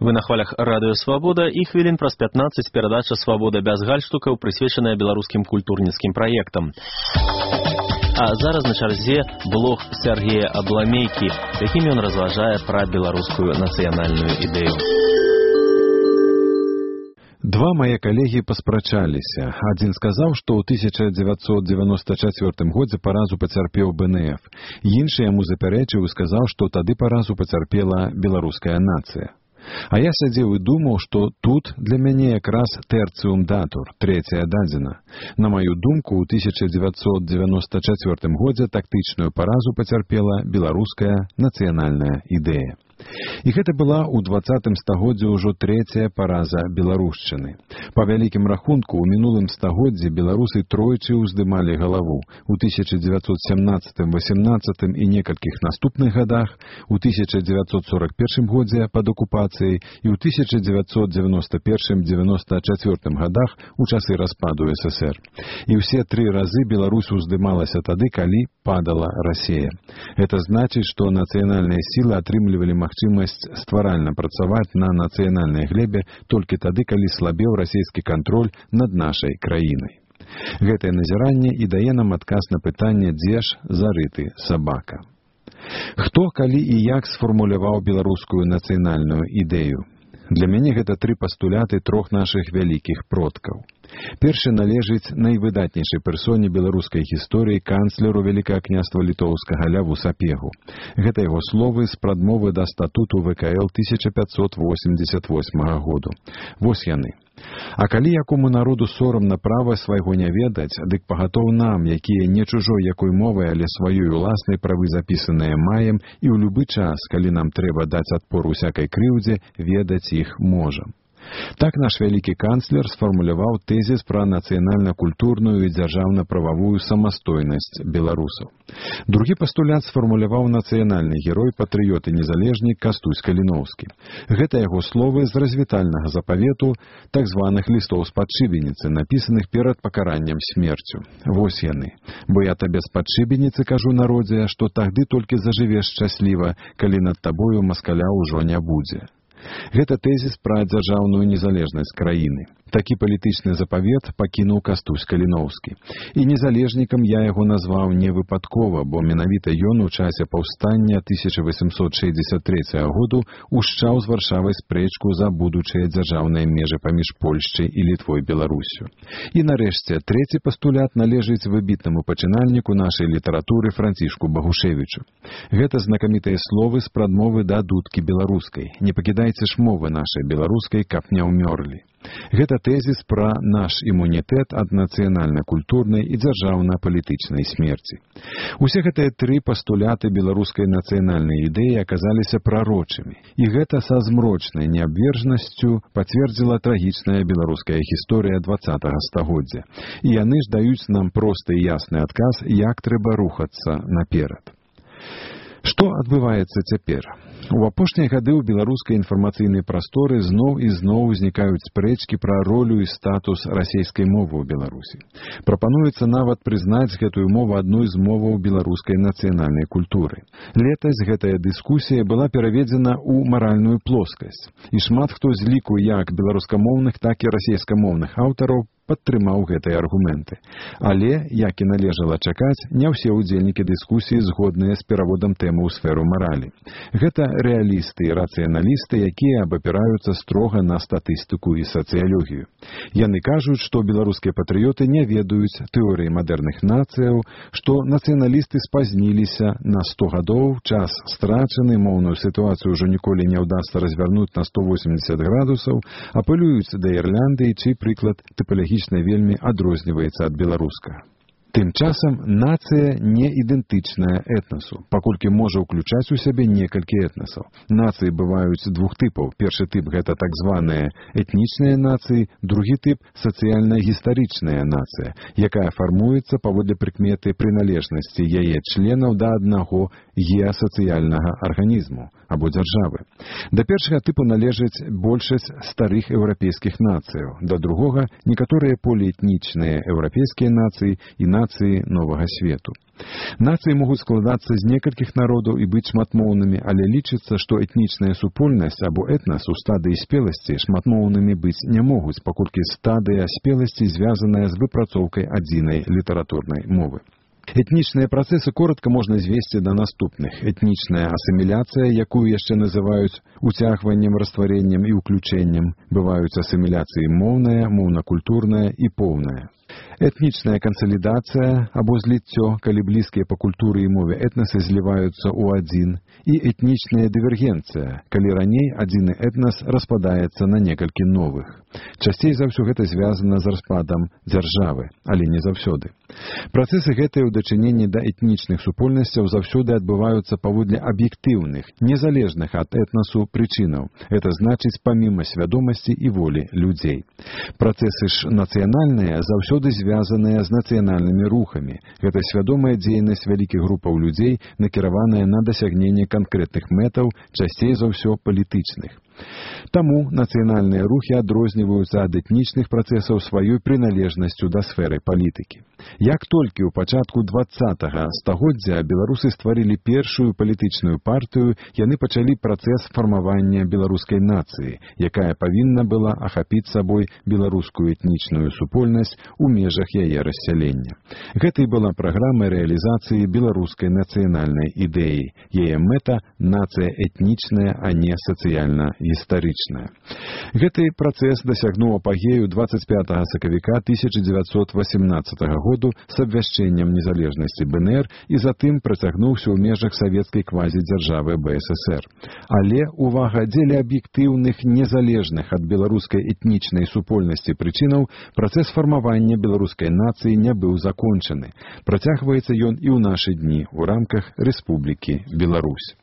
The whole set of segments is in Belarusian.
Вы на хвалях радыё «Свабода» і хвілін праз 15 перадача «Свабода без гальштукаў», прысвечаная беларускім культурніцкім праектам. А зараз на чарзе блог Сергея Абламейкі, якім ён разважае пра беларускую нацыянальную ідэю. Два мае калегі паспрачаліся. Адзін сказаў, што ў 1994 годзе паразу пацярпеў БНФ. Іншы яму запярэчыў і сказаў, што тады паразу пацярпела беларуская нацыя. А я сядзеў і думаў, што тут для мяне якраз тэрціум датур, трэцяя дадзена. На маю думку, ў 1994 годзе тактычную паразу пацярпела беларуская нацыянальная ідэя. І гэта была ў 20 стагоддзі ўжо трэцяя параза беларушчыны. Па вялікім рахунку, ў мінулым стагоддзі беларусы тройчы ўздымалі галаву. У 1917-18 і некалькіх наступных гадах, у 1941 годзе пад акупацыяй і ў 1991-94 гадах у часы распаду ССР. І ўсе тры разы Беларусь уздымалася тады, калі падала Расія. Это значыць, што нацыянальныя сілы атрымлівалі магчымасць стваральна працаваць на нацыянальнай глебе толькі тады, калі слабеў расійскі кантроль над нашай краінай. Гэтае назіранне і дае нам адказ на пытанне, дзе ж зарыты сабака. Хто, калі і як сфармуляваў беларускую нацыянальную ідэю? Для мяне гэта тры пастуляты трох нашых вялікіх продкаў. Першы належыць найвыдатнейшай персоне беларускай гісторыі канцлеру Вялікага княства літоўскага Ляву Сапегу. Гэта яго словы з прадмовы да статуту ВКЛ 1588 году. Вось яны. А калі якому народу сорамна права свайго не ведаць, дык пагатоў нам, якія не чужой якой мовай, але сваёй уласнай правы запісаныя маем, і ў любы час, калі нам трэба даць адпор усякай крыўдзе, ведаць іх можам. Так наш вялікі канцлер сфармуляваў тэзіс пра нацыянальна-культурную і дзяржаўна-прававую самастойнасць беларусаў. Другі пастулят сфармуляваў нацыянальны герой, патрыёт і незалежнік Кастусь Каліноўскі. Гэта яго словы з развітальнага запавету так званых лістоў з-пад шыбеніцы, напісаных перад пакараннем смерцю. Вось яны. Бо я табе з-пад шыбеніцы кажу народзе, што тагды толькі зажывеш шчасліва, калі над табою маскаля ўжо не будзе. Гэта тэзіс пра дзяржаўную незалежнасць краіны. Такі палітычны запавет пакінуў Кастусь Каліноўскі. І незалежнікам я яго назваў не выпадкова, бо менавіта ён у часе паўстання 1863 году ушчаў з Варшавай спрэчку за будучыя дзяржаўныя межы паміж Польшчай і Літвой Беларусю. І нарэшце, трэці пастулят належыць выбітнаму пачынальніку нашай літаратуры Францішку Багушевічу. Гэта знакамітыя словы з прадмовы да дудкі беларускай. Не пакідайце ж мовы нашай беларускай, каб не ўмёрлі. Гэта тэзіс пра наш імунітэт ад нацыянальна-культурнай і дзяржаўна-палітычнай смерці. Усе гэтыя тры пастуляты беларускай нацыянальнай ідэі аказаліся прарочымі. І гэта са змрочнай неабвержнасцю пацвердзіла трагічная беларуская гісторыя 20-го стагоддзя. І яны ж даюць нам просты і ясны адказ, як трэба рухацца наперад. Што адбываецца цяпер? У апошнія гады ў беларускай інфармацыйнай прасторы зноў і зноў узнікаюць спрэчкі пра ролю і статус расейскай мовы ў Беларусі. Прапануецца нават прызнаць гэтую мову адной з моваў беларускай нацыянальнай культуры. Летась гэтая дыскусія была пераведзена ў маральную плоскасць, і шмат хто з ліку як беларускамоўных, так і расейскамоўных аўтараў падтрымаў гэтыя аргументы. Але, як і належала чакаць, не ўсе ўдзельнікі дыскусіі згодныя з пераводам тэмы ў сферу маралі. Гэта рэалісты і рацыяналісты, якія абапіраюцца строга на статыстыку і сацыялогію. Яны кажуць, што беларускія патрыёты не ведаюць тэорыі мадэрных нацыяў, што нацыяналісты спазніліся на 100 гадоў, час страчаны, моўную сітуацыю ўжо ніколі не ўдасца развярнуць на 180 градусаў, апелююць да Ірландыі, чый прыклад тыпалагічна вельмі адрозніваецца ад беларускага. Тым часам нацыя не ідэнтычная этнасу, паколькі можа ўключаць у сябе некалькі этнасаў. Нацыі бываюць двух тыпаў. Першы тып – гэта так званыя этнічныя нацыі, другі тып – сацыяльна-гістарычная нацыя, якая фармуецца паводле прыкметы прыналежнасці яе членаў да аднаго геасацыяльнага арганізму або дзяржавы. Да першага тыпу належаць большасць старых еўрапейскіх нацыяў, да другога – некаторыя поліэтнічныя еўрапейскія нацыі і нацыі нацыі новага свету. Нацыі могуць складацца з некалькіх народаў і быць шматмоўнымі, але лічыцца, што этнічная супольнасць або этнас у стадыі спеласці шматмоўнымі быць не могуць, паколькі стадыя спеласці звязаная з выпрацоўкай адзінай літаратурнай мовы. Этнічныя працэсы коротка можна звесці да наступных. Этнічная асіміляцыя, якую яшчэ называюць уцягваннем, раствареннем і ўключэннем. Бываюць асіміляцыі моўная, моўна-культурная і поўная. Этнічная кансалідацыя або зліццё, калі блізкія па культуры і мове этнасы зліваюцца ў адзін, і этнічная дывергенцыя, калі раней адзіны этнас распадаецца на некалькі новых. Часцей за ўсё гэта звязана з распадам дзяржавы, але не заўсёды. Працэсы гэтыя ў дачыненні да этнічных супольнасцяў заўсёды адбываюцца паводле аб'ектыўных, незалежных ад этнасу прычынаў. Это значыць паміма свядомасці і волі людзей. Працэсы ж нацыянальныя заўсёды звязаныя з нацыянальнымі рухамі. Гэта свядомая дзейнасць вялікіх групаў людзей, накіраваная на дасягненне канкрэтных мэтаў, часцей за ўсё палітычных. Таму нацыянальныя рухі адрозніваюцца ад этнічных працэсаў сваёй прыналежнасцю да сферы палітыкі. Як толькі ў пачатку 20-га стагоддзя беларусы стварылі першую палітычную партыю, яны пачалі працэс фармавання беларускай нацыі, якая павінна была ахапіць сабой беларускую этнічную супольнасць у межах яе рассялення. Гэта і была праграма рэалізацыі беларускай нацыянальнай ідэі. Яе мэта – нацыя этнічная, а не сацыяльна-гістарычная. Гэты працэс дасягнуў апагею 25 сакавіка 1918 году з абвяшчэннем незалежнасці БНР і затым працягнуўся ў межах савецкай квазідзяржавы БССР. Але, увага, дзеля аб'ектыўных, незалежных ад беларускай этнічнай супольнасці прычынаў, працэс фармавання беларускай нацыі не быў закончаны. Працягваецца ён і ў нашы дні ў рамках Рэспублікі Беларусь.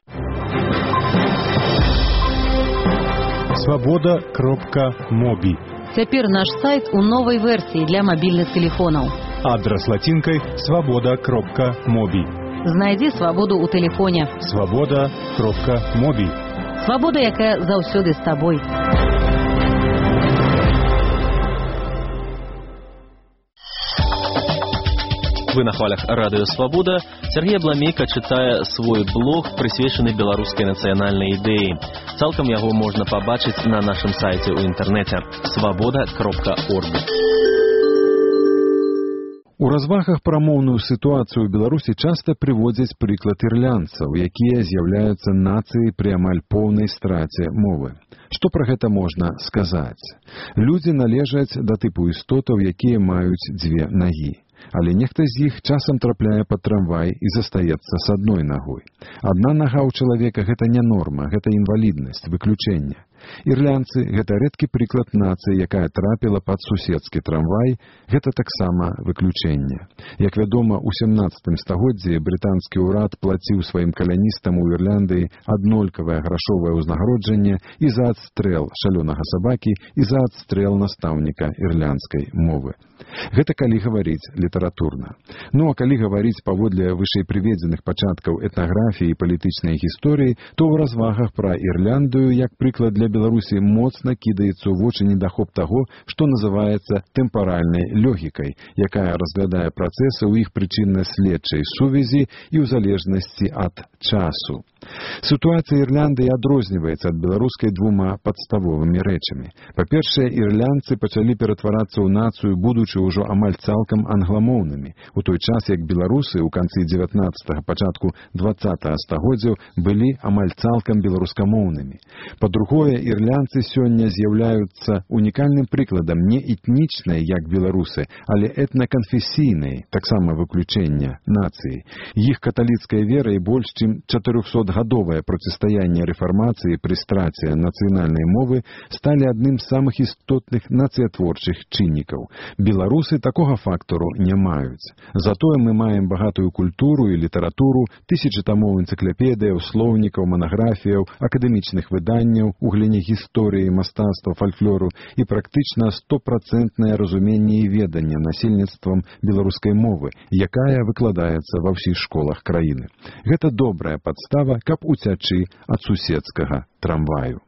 Свабода.моби. Цяпер наш сайт у новай версіі для мабільных тэлефонаў. Адрас лацінкай свабода.моби. Знайдзі свабоду ў тэлефоне. Свабода.моби. Свабода, якая заўсёды з табой. Вы на хвалях Радыё Свабода. Сергей Абламейка чытае свой блог, прысвечаны беларускай нацыянальнай ідэі. Цалкам яго можна пабачыць на нашым сайце ў інтэрнэце свабода.орг. У развагах пра моўную сітуацыю ў Беларусі часта прыводзяць прыклад ірландцаў, якія з'яўляюцца нацыяй пры амаль поўнай страце мовы. Што пра гэта можна сказаць? Людзі належаць да тыпу істотаў, якія маюць дзве нагі. Але нехта з іх часам трапляе пад трамвай і застаецца з адной нагой. Адна нага ў чалавека – гэта не норма, гэта інваліднасць, выключэнне. Ірландцы – гэта рэдкі прыклад нацыі, якая трапіла пад суседскі трамвай, гэта таксама выключэнне. Як вядома, у 17 стагоддзі брытанскі ўрад плаціў сваім каляністам у Ірландыі аднолькавае грашовае ўзнагароджанне і за адстрэл шалёнага сабакі, і за адстрэл настаўніка ірландскай мовы. Гэта калі гаварыць літаратурна. Ну, а калі гаварыць паводле вышэйпрыведзеных пачаткаў этнаграфіі і палітычнай гісторыі, то ў развагах пра Ірландыю, як прыклад для Беларусі, моцна кідаецца ў вочы недахоп таго, што называецца тэмпаральнай логікай, якая разглядае працэсы ў іх прычынна-следчай сувязі і ў залежнасці ад часу. Сітуацыя Ірландыі адрозніваецца ад беларускай двума падставовымі рэчамі. Па-першае, ірландцы пачалі ператварацца ў нацыю, будучы ўжо амаль цалкам англамоўнымі, у той час як беларусы ў канцы 19-га, пачатку 20-га стагоддзяў былі амаль цалкам беларускамоўнымі. Па-другое, ірландцы сёння з'яўляюцца унікальным прыкладам не этнічнай, як беларусы, але этнаканфесійнай, таксама выключэння, нацыі. Іх каталіцкая вера і больш чым 400-гадовае процістаянне рэфармацыі пры страце нацыянальнай мовы сталі адным з самых істотных нацыятворчых чыннікаў. Беларусы такога фактару не маюць. Затое мы маем багатую культуру і літаратуру, тысячы тамоў энцыклапедыяў, слоўнікаў, манаграфіяў, акадэмічных выданняў у галіне гісторыі, мастацтва, фальклору і практычна 100% разуменне і веданне насельніцтвам беларускай мовы, якая выкладаецца ва ўсіх школах краіны. Гэта добрая падстава, каб уцячы ад суседскага трамваю.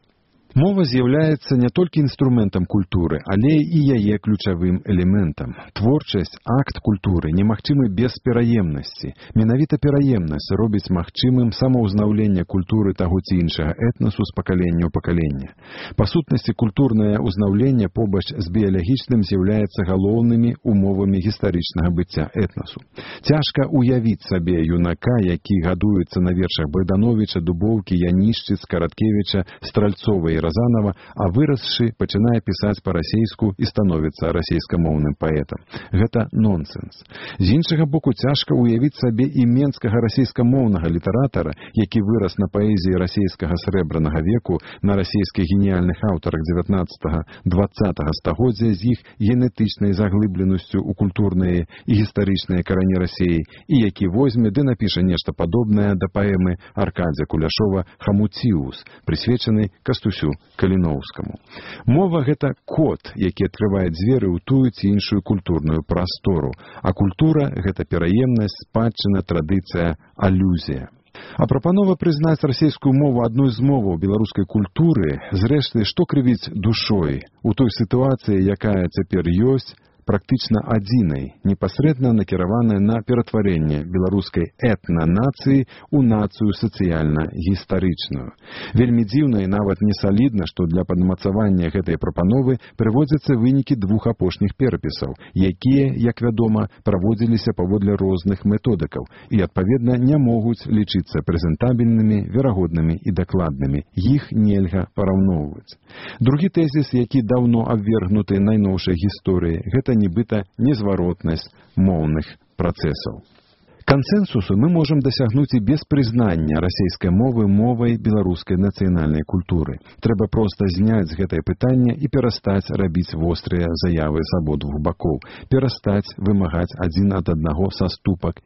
Мова з'яўляецца не толькі інструментам культуры, але і яе ключавым элементам. Творчасць, акт культуры немагчымы без пераемнасці. Менавіта пераемнасць робіць магчымым самаўзнаўленне культуры таго ці іншага этнасу з пакалення ў пакаленне. Па сутнасці, культурнае ўзнаўленне побач з біялагічным з'яўляецца галоўнымі умовамі гістарычнага быцця этнасу. Цяжка уявіць сабе юнака, які гадуецца на вершах Богдановича, Дубоўкі, Янішчыц, Караткевіча, Стральцова і Разанова, а вырасшы пачынае пісаць па-расейску і становіцца расейскамоўным паэтам. Гэта нонсенс. З іншага боку, цяжка уявіць сабе і менскага расейскамоўнага літаратара, які вырас на паэзіі расейскага срэбранага веку, на расейскіх геніяльных аўтарах 19-20 стагоддзя з іх генетычнай заглыбленасцю ў культурныя і гістарычныя карані Расеі, і які возьме ды напіша нешта падобнае да паэмы Аркадзя Куляшова «Хамуціус», прысвечанай Кастусю Каліноўскаму. Мова – гэта код, які адкрывае дзверы ў тую ці іншую культурную прастору, а культура – гэта пераемнасць, спадчына, традыцыя, алюзія. А прапанова прызнаць расейскую мову адной з моваў беларускай культуры, зрэшты, што крывіць душой у той сітуацыі, якая цяпер ёсць, практычна адзінай, непасрэдна накіраваная на ператварэнне беларускай этна-нацыі ў нацыю сацыяльна-гістарычную. Вельмі дзіўна і нават не салідна, што для падмацавання гэтай прапановы прыводзяцца вынікі двух апошніх перапісаў, якія, як вядома, праводзіліся паводле розных методыкаў і, адпаведна, не могуць лічыцца прэзентабельнымі, верагоднымі і дакладнымі. Іх нельга параўноўваць. Другі тэзіс, які даўно абвергнуты найноўшай гісторыі, гэта нібыта незваротнасць моўных працэсаў. Кансэнсусу мы можам дасягнуць і без прызнання расейскай мовы мовай беларускай нацыянальнай культуры. Трэба проста зняць гэтае пытанне і перастаць рабіць вострыя заявы з абодвух бакоў, перастаць вымагаць адзін ад аднаго саступак